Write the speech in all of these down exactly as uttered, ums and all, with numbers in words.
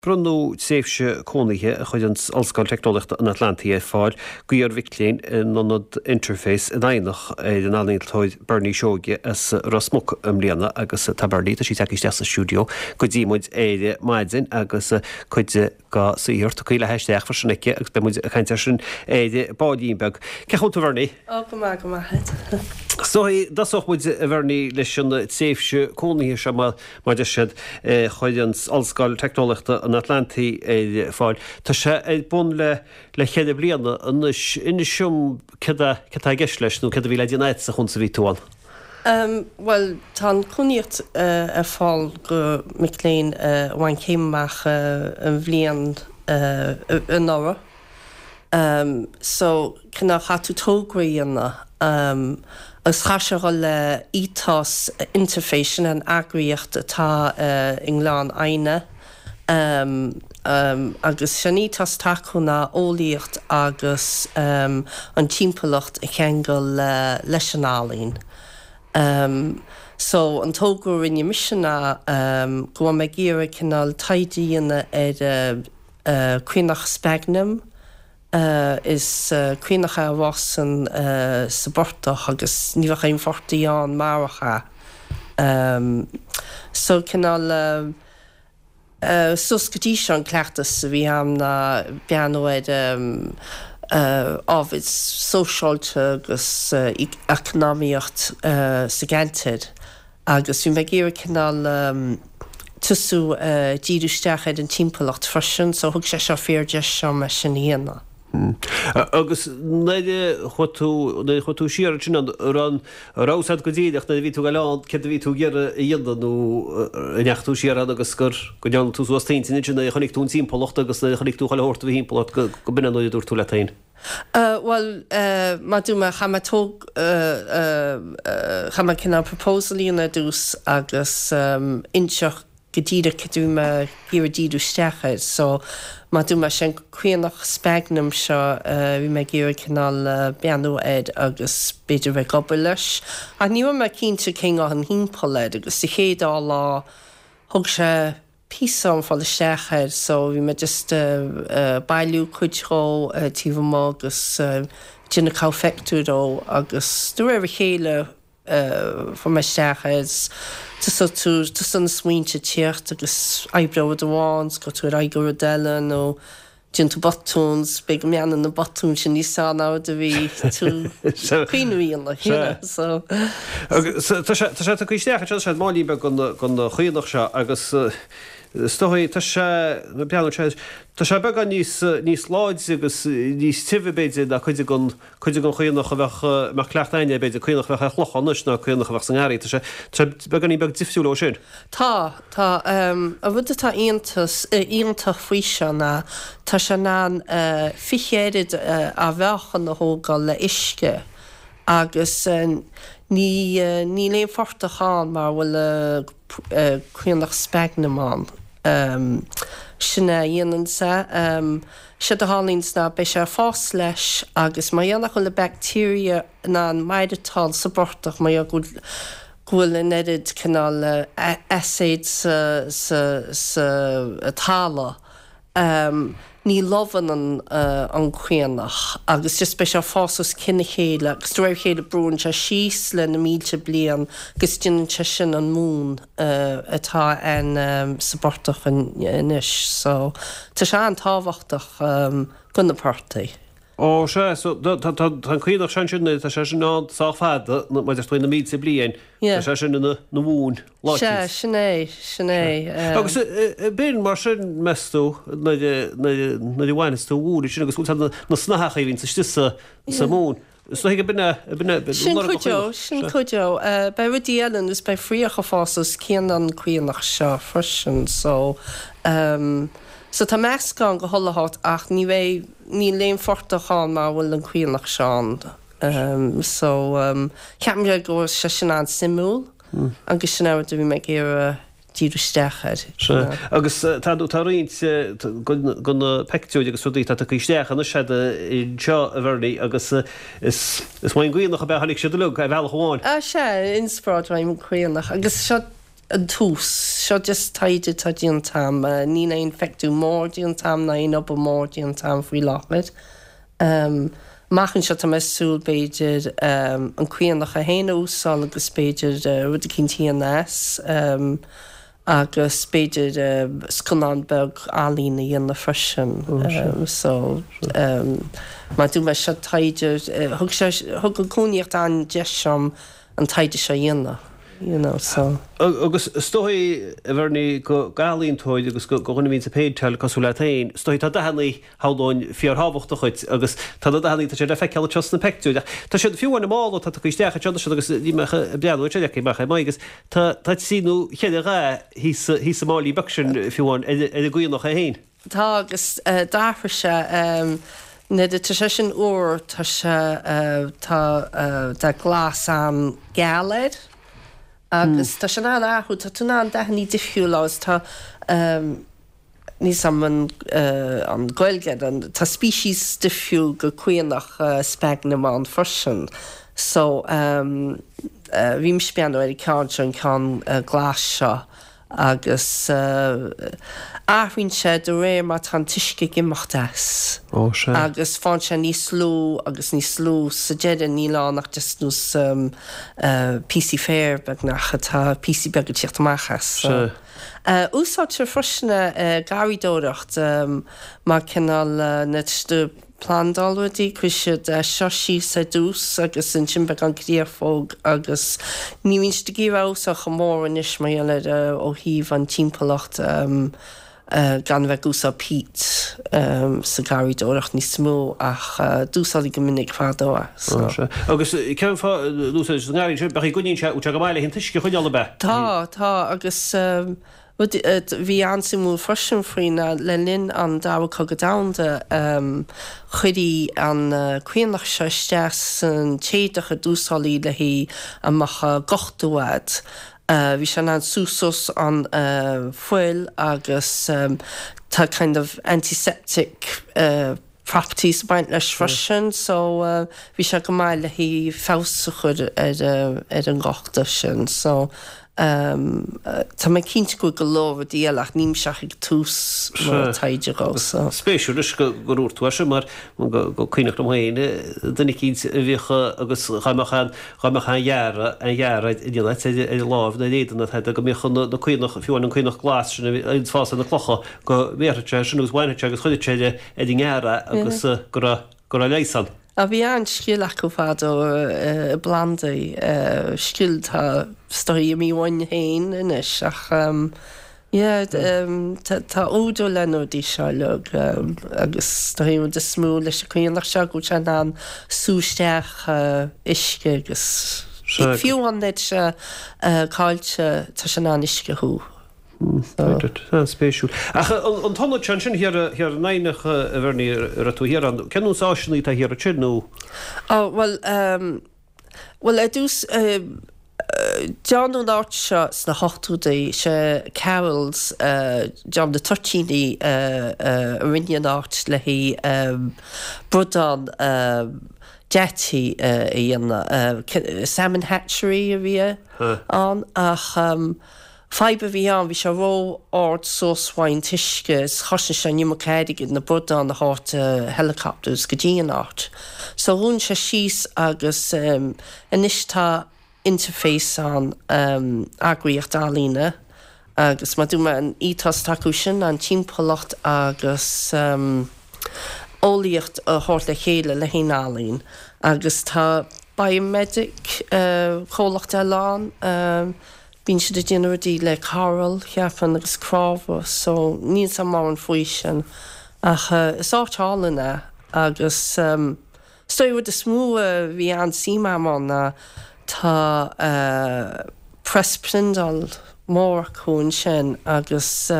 Bronnadh tréimhse cónaithe a chuir an Ollscoil Teicneolaíochta an Atlantaigh ar fáil d'iar-mhic léinn in ionad Interface in Eidhneach ar an ealaíontóir Bernie Seoige as Ros Muc i mbliana agus tá Bernie tá sí tagtha isteach sa stiúideo go dtí muid ar maidin agus cuid dá saothar tugtha léi isteach freisin aici agus beidh muid ag caint air sin ar baillín beag. Cén chaoi a bhfuil tú Bernie? Ó go maith go maith. So tosóidh muid a Bhernie leis an tréimhse cónaithe seo mar a deir siad chuir an Ollscoil Teicneolaíochta an Atlantaigh ar fáil. Tá sé ar bun le le ceithre bliana anois inis dom céard atá i gceist leis nó céard a bhí le déanamh agat sa bhí tú ann. Um, well tá an chónaíocht uh, ar fáil go mic léinn uh, bhain céim amach uh, an bhliain uh, anuraidh. Um, so cineál caithfidh tú togra a dhéanamh um, agus chaith sé go le ethos Interface sin an eagraíocht atá uh, i nGleann Fhidhne um, um, agus sin ethos acu ná eolaíocht agus um, an timpeallacht a cheangal uh, leis an ealaín. Um, so an togra a rinne mise ná um, go bhfuil mé ag iarraidh cineál taighde a dhéanamh ar uh, uh, caonach sphagnum, uh, is uh, caonach a fhásann uh, sa bportach agus ní bheadh aon phortach ann murach é. Um, so cineál uh, uh, sos go dtí seo an cleachtas a bhí agam ná breathnú ar um, uh, ábhar sóisialta agus uh, eacnamaíocht uh, sa gceantar. Agus bhí mé ag iarraidh cineál um, tosú uh, díriú isteach ar an timpeallacht freisin, so thug sé seo fíordheis dom é sin a dhéanamh. Hmm. Agus nuair a chuaigh tú nuair a chuaigh tú siar sin an ran ráad go díireach na bhí tú go lá ce bhí tú géar a dhéanamh nó an ndeachaigh tú siar an agus gur go ndearna tú suas t'intinn sin a chonaic tú an timpeallacht agus a chonaic tú chuile shórt a bhí timpeallacht go go b'in nuair a dúirt tú leat féin. Uh, well uh, má dú me cha me tóg uh, uh, uh, cha me cinna proposal a dús agus um, inseach go díreach cad a bhí mé ag iarraidh díriú isteach air so má dú me sin caonach sphagnum seo uh, bhí mé ag iarraidh cineál uh, breathnú air agus b'fhéidir bheith ag obair leis. Ach ní mé cinnte cén an thimpeall air agus sa chéad lá thug sé píosa dom fáil isteach air so bhí mé just uh, uh, bailiú cuid dhó uh, taobh amuigh agus uh, déanamh cúpla dó agus de réir a chéile uh, fu me isteach is tú tú san smaointe teacht agus oibreoidh amháin go tú ar go rud eile nó déanann tú botún be go mean na botún sin ní sá ná a bhí tú cuiíonna so Tá sé tá isteach sé máí be gon chaonach seo agus Stoí tá sé breathnú sé Tá sé beagán níos níos láidre agus níos tibhe b'fhéidir ná cuid den cuid den chaonach a bheadh mar cleachtadh againne b'fhéidir caonach bheadh ar chlochán anois ná caonach a bheadh san ngarraí Tá sé tá beagáinín beag difriúil ó sin. Tá tá um, a rud atá iontas iontach faoi seo ná tá sé in ann uh, fiche oiread uh, a mheáchan a thógáil le uisce agus uh, ní uh, níl aon phortach ann mar bhfuil uh, uh, caonach sphagnum ann. Um, sin a dhéanann sé um, sé a tharlaíonn ná beidh sé fás leis agus má dhéanach bhfuil le bacteria ná an maireachtáil sa bportach má go bhfuil an oiread cineál acid sa, sa, sa talamh. Um, ní lobhann an, uh, an caonach agus just beidh sé fás os cionn a chéile agus de réir a chéile brúnn sé síos le na mílte bliain agus déanann sé sin an mún uh, atá an um, sa bportach anois so tá sé an-tábhachtach um, do na portaigh. Ó sé so tá an caonach sin sin tá sé sin ná sách fada mar tú na mílte bliain Tá sé sin na na mún Sé sin é sin é. Agus b'in mar sin meas tú nuair a bhaineas tú mún sin agus na snáthacha bhíonn istigh sa sa mún. So hiige binne binne Sin cuid dó sin cuid dó beidh rudaí eile is beidh fraoch ag fás os cionn an caonach seo freisin so um, So tá meascán go chuile áit ach ní bheidh níl aon phortach ann mar bhfuil an caonach seo ann. Um, so um, ceapaim go bhfuil sé sin an-suimiúil mm. agus sin a bhí mé ag iarraidh díriú isteach air. Agus tá tá roinnt de na pictiúir agus rudaí tá isteach an sé seo a Bhernie agus is is ón gcaonach a bheith siad le a bhealach amháin. A sé inspioráid ón gcaonach agus seo an tús. Seo just taighde atá déanta agam. Níl aon phictiúr mór déanta agam ná aon obair mór déanta agam faoi láthair. Amach anseo tá mé ag súil b'fhéidir an caonach é féin a úsáid agus b'fhéidir rud eicínt a dhéanamh as agus b'fhéidir scannán beag ealaíne a dhéanamh freisin. So mar a dúirt mé seo taighde, thug sé, thug an cónaíocht an-deis dom an taighde seo a dhéanamh, you know, so. Agus is dóigh, a Bhernie, go ealaíontóir agus go dhuine a bhíonns ag péinteáil cosúil leat féin, is dóigh tá dathannaí shamhlóinn fíorthábhachtach dhuit agus tá na dathannaí, tá siad le feiceáil anseo sna peictiúir ach tá siad, fiú amháin i mála atá tugtha isteach anseo, tá siad agus ní mbeadh ag breathnú ar siad amach ar m'aghaidh agus tá tá trí nó cheithre dhath thíos thíos sa máilín beag sin fiú amháin ar ar an gcaonach é féin. Tá agus d'athraigh sé nuair atá sé sin úr tá sé tá dath glas an-gheal air agus tá sé in ann athrú, tá tú in ann dathannaí difriúla agus tá níl 'fhios a'm an an Ghaeilge air, tá species difriúil go caonach sphagnum ann freisin so bhí mise ag breathnú ar an ceann seo, an ceann glas seo. agus athraíonn sé de réir mar tá an t-uisce ag imeacht as. Ó, sea. Agus faigheann sé níos lú agus níos lú sa deireadh níl ann ach just nós píosaí féir beagnach atá píosaí beaga ag tíocht amach as. Sea. Úsáidtear freisin é i garraíodóireacht mar cineál nuair atá siad ag plandáil rudaí, cuireann siad é seo síos ar dtús agus ansin beagán créafóg agus ní bhíonn siad ag iarraidh a úsáid chomh mór anois mar gheall ar ó thaobh an timpeallacht gan a bheith ag úsáid peat sa gharraíodóireacht níos mó ach d'úsáidtí go minic fadó é. Ó sea. Agus cén fáth a n-úsáideann siad sa ngarraí sin? B'fhéidir go gcoinníonn sé, bhfuil sé go maith le an t-uisce a choinneáil ab ea? Tá, tá agus Rud a bhí an-suimiúil freisin faoi ná le linn an Dara Cogadh Domhanda chuirí an caonach seo isteach san t-éadach a d'úsáidí le haghaidh a mbeadh gortú a'd. Bhí sé in ann sú suas an fuil agus tá kind of antiseptic properties ag baint leis freisin so bhí sé go maith le haghaidh feabhas a chur ar ar an ngortú sin so tá mé cinnte go bhfuil go leor rudaí eile ach nílimse ach ag tús mo taighde dhó so. Spéisiúil anois go gur dhúirt tú é sin mar go cuimhneach liom féin duine eicínt a bhíodh agus dhá mbeadh an dhá mbeadh an ghearradh an ghearradh ar ar ar láimh nó ar éadan nó tada go mbíodh na caonach fiú amháin an caonach glas sin a bhí ag fás ar na clocha go mbéarfadh sé sin agus bhainfeadh sé agus chuirfeadh sé ar ar an ngearradh agus go raibh go raibh leigheas ann. Á bhí an-scil acu fadó i bplandaí, scil atá is dóigh imithe uainn féin anois ach yeah tá údar le na rudaí seo uilig agus is dóigh an rud is mó leis an chaonach seo go bhfuil sé in ann sú isteach uisce agus fiú amháin nuair atá sé caillte tá sé in ann uisce a shú. Spéisiúil. Ach an t-ionad seo ansin thiar thiar in Eidhneach, a Bhernie, a raibh tú thiar ann, cén nós áiseanna atá thiar ansin nó? Ó, bhuel, bhuel ar dtús, déanadh an áit seo sna hochtóidí, sé Carroll's, dream na toitíní a rinne an áit le haghaidh bradán deataigh a dhéanamh. Salmon hatchery a bhí ann ach fadhb a bhí ann, bhí sé ró-ard suas uaidh an t-uisce is chosain sé an iomarca airgid na bradáin a thabhairt helicopters go dtí an áit. So dhún sé síos agus anois tá Interface ann, eagraíocht ealaíne agus mar a dúirt mé an ethos atá acu sin ná an timpeallacht agus eolaíocht a thabhairt le chéile le haghaidh an ealaín agus tá Biomedic, comhlacht eile ann, bíonn siad ag déanamh rudaí le coral, cheapfainn, agus crábhadh so níl 's a'm mórán faoi sin ach is áit álainn é agus is dóigh an rud is mó a bhí an-suim a'm ann ná tá press priondáil mór acu ansin agus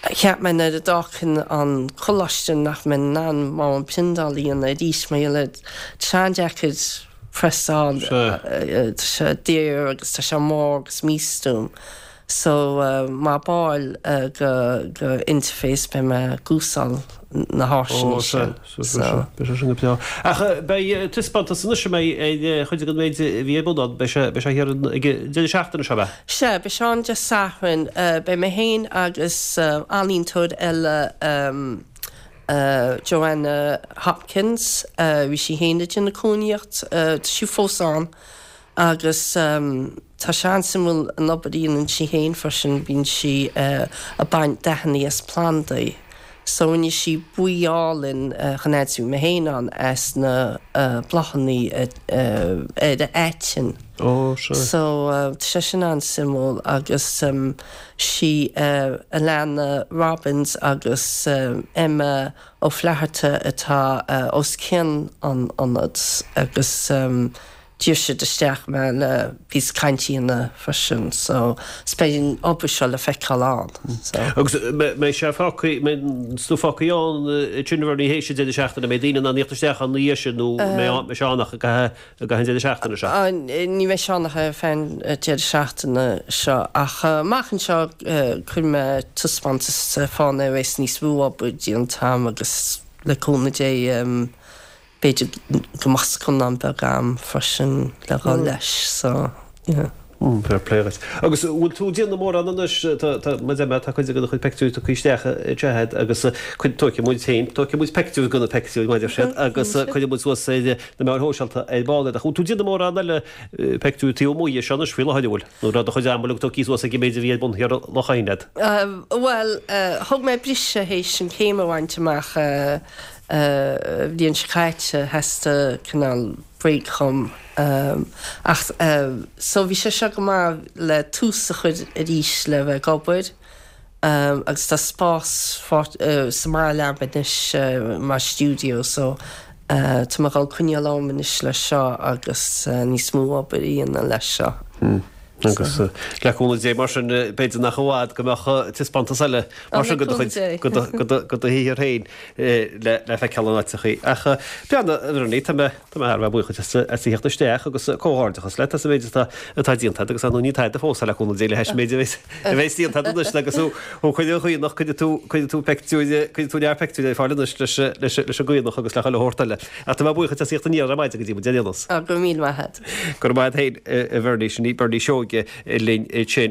Cheap mé nuair a d'fhágfainn an coláiste nach mbeinn in ann mórán priondáil a dhéanamh arís mar gheall ar tá sé an-deacair press a fháil, tá sé daor agus tá sé mór agus místuaim. So mar ball go go Interface beidh mé ag úsáid na háiseanna sin. So beidh sé sin go breá. Ach beidh taispeántas anois a mbeidh ar chuid den méid a bhí ar bun ann, beidh sé beidh sé thiar ag an deireadh seachtaine seo, ab ea? Sea, beidh sé ann Dé Sathairn. Beidh mé féin agus ealaíontóir eile Joanna Hopkins, bhí sí féin ag déanamh cóiníocht, tá sí fós ann agus tá sé an-suimiúil an obair a dhéanann sí féin freisin, bíonn sí ag baint dathanna as plandaí. So rinne sí buí álainn chun fhad is a bhí mé féin ann as na bláthanna ar an aiteann. Ó, sea. So tá sé sin an-suimiúil agus sí Alana Robbins agus Emma Ó Flatharta atá os cionn an ionad agus d'iarr siad isteach mé le píosa cainte a dhéanamh freisin so is beidh an obair seo le feiceáil ann so. Agus mbeidh sé fágtha, mbeidh an stuif fágtha ann ansin a Bhernie théis an deireadh seachtaine, mbeidh daoine in ann theacht isteach ann ina dhiaidh sin nó mbeidh sé ann ach i gcaitheamh an deireadh seachtaine seo? Ní bheidh sé ann ach ar feadh an deireadh seachtaine seo ach amach anseo cuirfidh mé taispeántas ar fáil nuair a bheas níos mó obair déanta agam agus le cúnamh Dé b'fhéidir go mbeadh scannán beag agam freisin le dhul leis so yeah. Mm, fair play dhuit. Agus bhfuil tú ag déanamh mórán anois, tá, tá, mar a deir mé, tá cuid de do chuid peictiúirí tugtha isteach anseo agat agus cuid, tógfaidh muid féin, tógfaidh muid peictiúir de na peictiúirí, mar a deir siad, agus cuirfidh muid suas ar na meáin shóisialta ar ball iad. Ach bhfuil tú ag déanamh mórán eile peictiúirí taobh amuigh dhe seo anois faoi láthair, an bhfuil? Nó raibh do chuid ama uilig tugtha suas ag an méid a bhí ar bun thiar i Loch Eidhneach agat? Bhuel, thug mé briseadh théis an chéim a bhaint amach, bhliain seo caite, theastaigh cineál break dhom ach so bhí sé seo go maith le tús a chur arís le bheith ag obair agus tá spás sa mbaile agam anois mar stiúideo so tá mé ag dul coinneáil orm anois leis seo agus níos mó obair a dhéanamh leis seo. Agus le cúnamh Dé mar sin, b'fhéidir nach i bhfad go mbeadh taispeántas eile mar sin de do chuid, de do shaothar féin le feiceáil in áiteachaí. Ach breathnaigh, a Bhernie, tá mé tá mé thar a bheith buíoch duit as a theacht isteach agus comhghairdeachas leat as an méid atá atá déanta agat agus ar ndóigh ní tada fós le cúnamh Dé le hais an méid a bheas a bheas déanta agat anois agus thú thú cuid den chaonach, cuirfidh tú cuirfidh tú peictiúir cuirfidh tú lear peictiúir ar fáil anois leis leis leis an gcaonach agus le chuile shórt eile. Ach tá mé buíoch duit as a theacht aniar ar maidin go dtí muid ar aon nós. Go raibh míle maith agat. Go raibh maith agat féin, a Bhernie, sin í Bernie Seoige linn ansin.